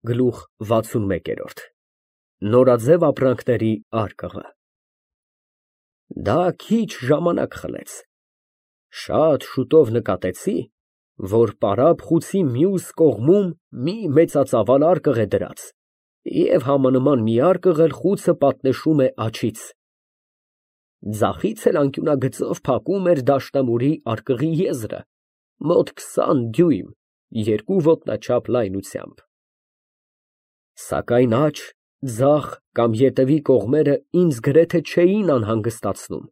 Գլուխ 61 Նորաձև ապրանքների արկղը Դա քիչ ժամանակ խլեց, շատ շուտով նկատեցի, որ պարապ խուցի մյուս կողմում մի մեծածավալ արկղ է դրած և համանման մի արկղ էլ խուցը պատնեշում է աջից, ձախից էլ անկյունագծով փակում էր դաշնամուրի արկղի եզրը, մոտ 20 դյույմ, երկու ոտնաչափ լայնությամբ, սակայն աջ, ձախ կամ ետևի կողմերը ինձ գրեթե չէին անհանգստացնում,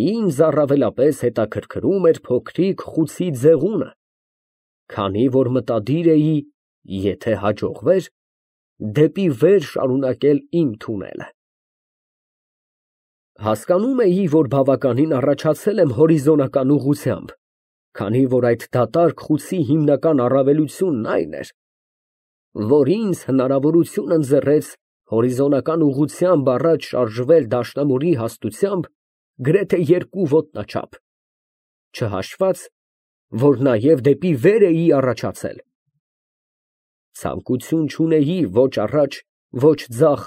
ինձ առավելապես հետաքրքրում էր փոքրիկ խուցի ձեղունը, քանի որ մտադիր էի, եթե հաջողվեր, դեպի վեր շարունակել իմ թունելը։ Հասկանում էի, որ բավականին առաջացել եմ հորիզոնական ուղղությամբ, քանի որ այդ դատարկ խուցի հիմնական առավելությունն այն էր, որ ինձ հնարավորություն ընձեռեց հորիզոնական ուղղությամբ առաջ շարժվել դաշնամուրի հաստությամբ գրեթե երկու ոտնաչափ, չհաշված, որ նաև դեպի վեր էի առաջացել։ Ցանկություն չունեի ոչ առաջ, ոչ ձախ,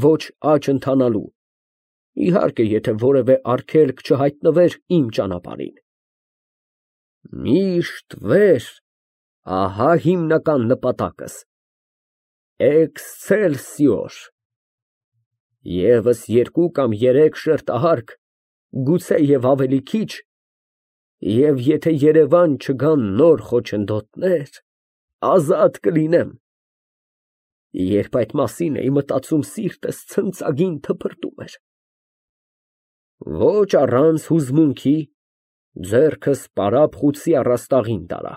ոչ աջ ընթանալու, իհարկե, եթե որևէ արգելք չհայտնվեր իմ ճանապարհին։ Միշտ վեր, ահա հիմնական նպատակս, էքսցելսիոր, ևս երկու կամ երեք շերտահարկ, գուցե և ավելի քիչ, և եթե Երևան չգան նոր խոչընդոտներ, ազատ կլինեմ։ Երբ այդ մասին էի մտածում, սիրտս ցնծագին թփրտում էր։ Ոչ առանց հուզմունքի ձեռքս պարապ խուցի առաստաղին տարա։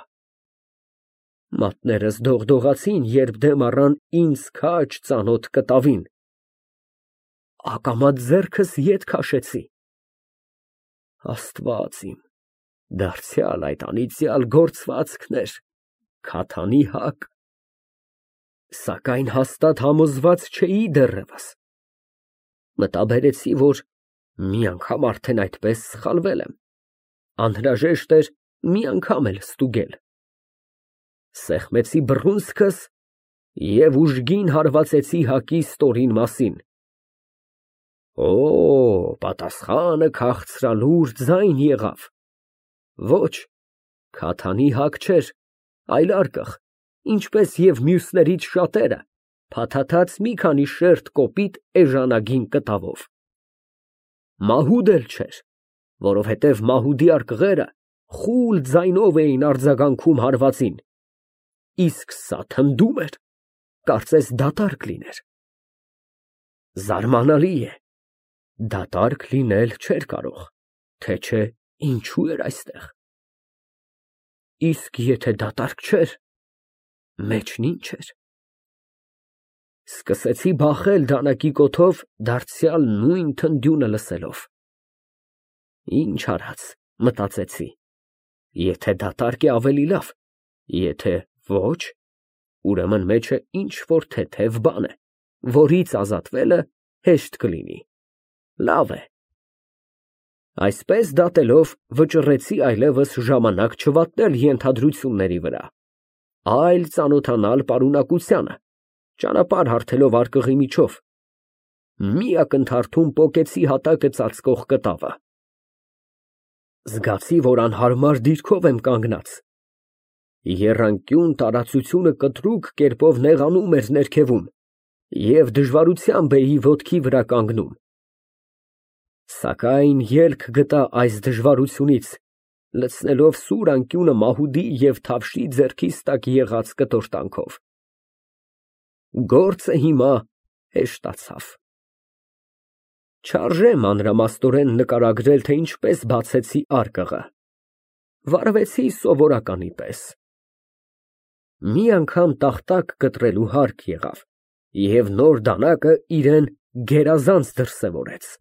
Մատներս դողդողացին, երբ դեմ առան ինձ քաջ ծանոթ կտավին, ակամա ձեռքս ետ քաշեցի։ Աստված իմ, դարձյալ այդ անիծյալ գործվածքն էր, քաթանի հակ, սակայն հաստատ համոզված չէի դեռևս, մտաբերեցի, որ մի անգամ արդեն այդպես սխալվել եմ, անհրաժեշտ էր մի անգամ էլ ստուգել, սեղմեցի բռունցքս և ուժգին հարվածեցի հակի ստորին մասին, պատասխանը քաղցրալուր ձայն եղավ, ոչ, քաթանի հակ չէր, այլ արկղ, ինչպես և մյուսներից շատերը, փաթաթած մի քանի շերտ կոպիտ էժանագին կտավով, մահուդ էլ չէր, որովհետև մահուդի արկղերը խուլ ձայնով էին արձագանքում հարվածին, իսկ սա թնդում էր, կարծես դատարկ լիներ։ Զարմանալի է, դատարկ լինել չէր կարող, թե չէ ինչու էր այստեղ։ Իսկ եթե դատարկ չէր, մեջն ինչ էր։ Սկսեցի բախել դանակի կոթով դարձյալ նույն թնդյունը լսելով։ Ինչ արած, մտածեցի, եթե դատարկ է ավելի լավ, եթե ոչ, ուրեմն մեջը ինչ-որ թեթև բան է, որից ազատվելը հեշտ կլինի, լավ է։ Այսպես դատելով վճռեցի այլևս ժամանակ չվատնել ենթադրությունների վրա, այլ ծանոթանալ պարունակությանը, ճանապարհ հարթելով արկղի միջով, մի ակնթարթում պոկեցի հատակը ծածկող կտավը։ Զգացի, որ անհարմար դիրքով եմ կանգնած, եռանկյուն տարածությունը կտրուկ կերպով նեղանում էր ներքևում և դժվարությամբ էի ոտքի վրա կանգնում, սակայն ելք գտա այս դժվարությունից, լցնելով սուր անկյունը մահուդի և թավշի ձեռքիս տակ եղած կտորտանքով։ Գործը հիմա հեշտացավ։ Չարժե մանրամասնորեն նկարագրել, թե ինչպես բացեցի արկղը, վարվեցի սովորականի պես։ Մի անգամ տախտակ կտրելու հարկ եղավ, և նոր դանակը իրեն գերազանց դրսևորեց։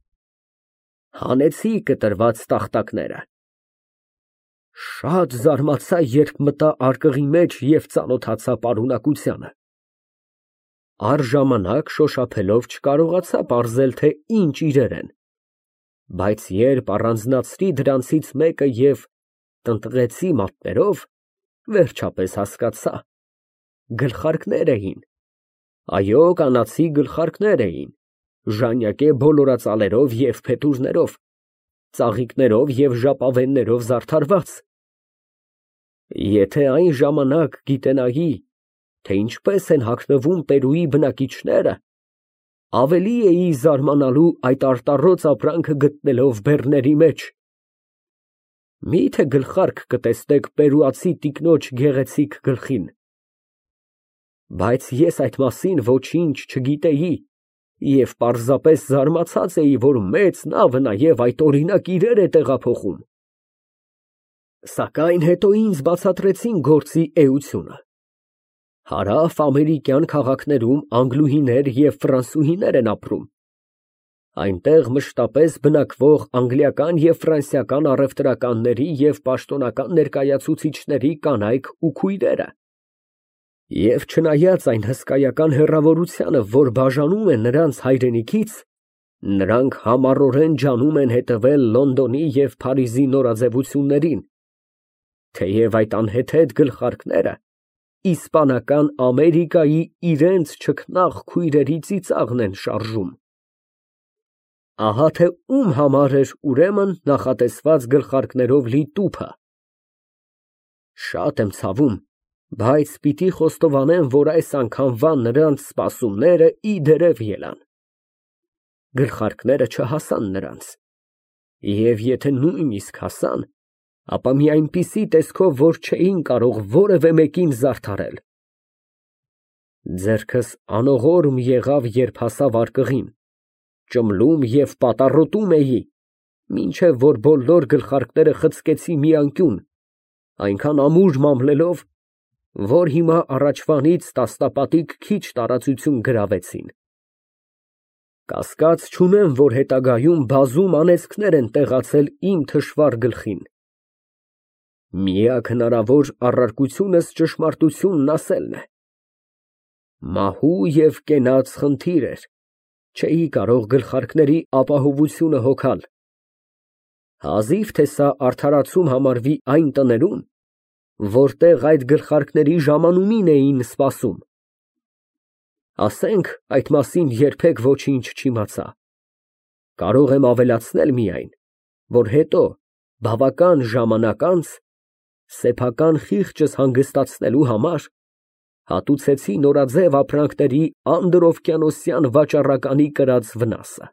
Հանեցի կտրված տախտակները։ Շատ զարմացա, երբ մտա արկղի մեջ և ծանոթացա պարունակությանը։ Առժամանակ շոշափելով չկարողացա պարզել, թե ինչ իրեր են, բայց երբ առանձնացրի դրանցից մեկը և տնտղեցի մատներով, վերջապես հասկացա, գլխարկներ էին։ Այո, կանացի գլխարկներ էին, ժանյակե բոլորածալերով և փետուրներով, ծաղիկներով և ժապավեններով զարդարված։ Եթե այն ժամանակ գիտենայի, թե ինչպես են հագնվում Պերուի բնակիչները, ավելի էի զարմանալու այդ արտառոց ապրանքը գտնելով բեռների մեջ։ Մի՞թե գլխարկ կտեսնեք պերուացի տիկնոջ գեղեցիկ գլխին։ Բայց ես այդ մասին ոչինչ չգիտեի և պարզապես զարմացած էի, որ մեծ նավը նաև այդ օրինակ իրեր է տեղափոխում։ Սակայն հետո ինձ բացատրեցին գործի էությունը։ Հարավ ամերիկյան քաղաքներում անգլուհիներ և ֆրանսուհիներ են ապրում։ Այնտեղ մշտապես բնակվող անգլիական և ֆրանսիական առևտրականների և պաշտոնական ներկայացուցիչների կանայք ու քույրերը։ Եվ չնայած այն հսկայական հեռավորությանը, որ բաժանում է նրանց հայրենիքից, նրանք համառորեն ջանում են հետևել Լոնդոնի և Փարիզի նորաձևություններին, թեև այդ անհեթեթ գլխարկները իսպանական Ամերիկայի իրենց չքնաղ քույրերի ծիծաղն են շարժում։ Ահա թե ում համար էր ուրեմն նախատեսված գլխարկներով լի տուփը։ Շատ եմ ցավում, բայց պիտի խոստովանեմ, որ այս անգամվա նրանց սպասումները իդերև ելան։ Գլխարկները չհասան նրանց, և եթե նույնիսկ հասան, ապա մի այնպիսի տեսքով, որ չէին կարող որևէ մեկին զարդարել։ Ձեռքս անողորմ եղավ, երբ հասավ արկղին, ճմլում և պատառոտում էի, մինչև որ բոլոր գլխարկները խցկեցի մի անկյուն, այնքան ամուր մամլելով, որ հիմա առաջվանից տասնապատիկ քիչ տարածություն գրավեցին։ Կասկած չունեմ, որ հետագայում բազում անեծքներ են տեղացել իմ թշվառ գլխին։ Միակ հնարավոր առարկությունս ճշմարտությունն ասելն է։ Մահու և կենաց խնդիր էր, չէի կարող գլխարկների ապահովությունը հոգալ։ Հազիվ թե սա արդարացում համարվի այն տներում, որտեղ այդ գլխարկների ժամանումին էին սպասում։ Ասենք այդ մասին երբեք ոչինչ չիմացա։ Կարող եմ ավելացնել միայն, որ հետո, բավական ժամանակ անց, սեփական խիղճս հանգստացնելու համար, հատուցեցի նորաձև ապրանքների անդրօվկիանոսյան վաճառականի կրած վնասը։